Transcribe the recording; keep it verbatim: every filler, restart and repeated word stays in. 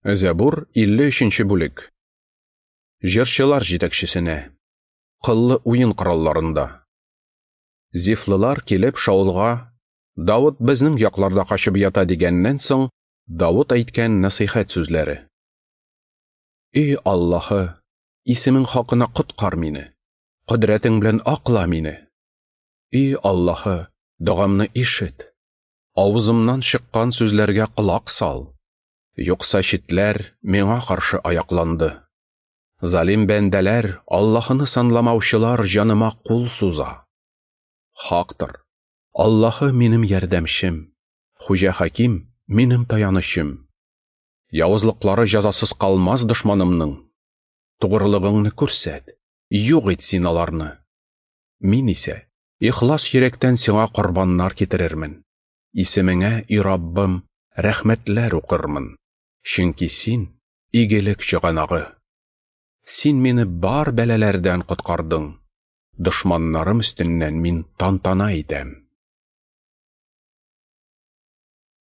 Зәбур, илле өченче бүлек. Җырчылар җитәкчесенә. Кыллы уен коралларында. Зифлылар килеп Шаулга: "Давыт безнең якларда качып ята" дигәннән соң, Давыт әйткән нәсыйхәт сүзләре. Эй Аллаһы, исемең хакына коткар мине, кодрәтең белән акла мине. Эй Аллаһы, догамны ишет, авызымнан чыккан сүзләргә колак сал. Юкса читләр миңа каршы аякланды. Залим бәндәләр, Аллаһыны санламаучылар җаныма кул суза. Хактыр, Аллаһы минем ярдәмчем, Хуҗа Хаким минем таянычым. Явызлыклары җәзасыз калмас дошманымның. Тугрылыгыңны күрсәт, юк ит син аларны. Мин исә ихлас йөрәктән сиңа корбаннар китерермен. Исемеңә, и Раббым, рәхмәтләр укырмын. Чөнки син игелек чыганагы. Син мине бар бәлаләрдән коткардың. Дошманнарым өстеннән мин тантана итәм.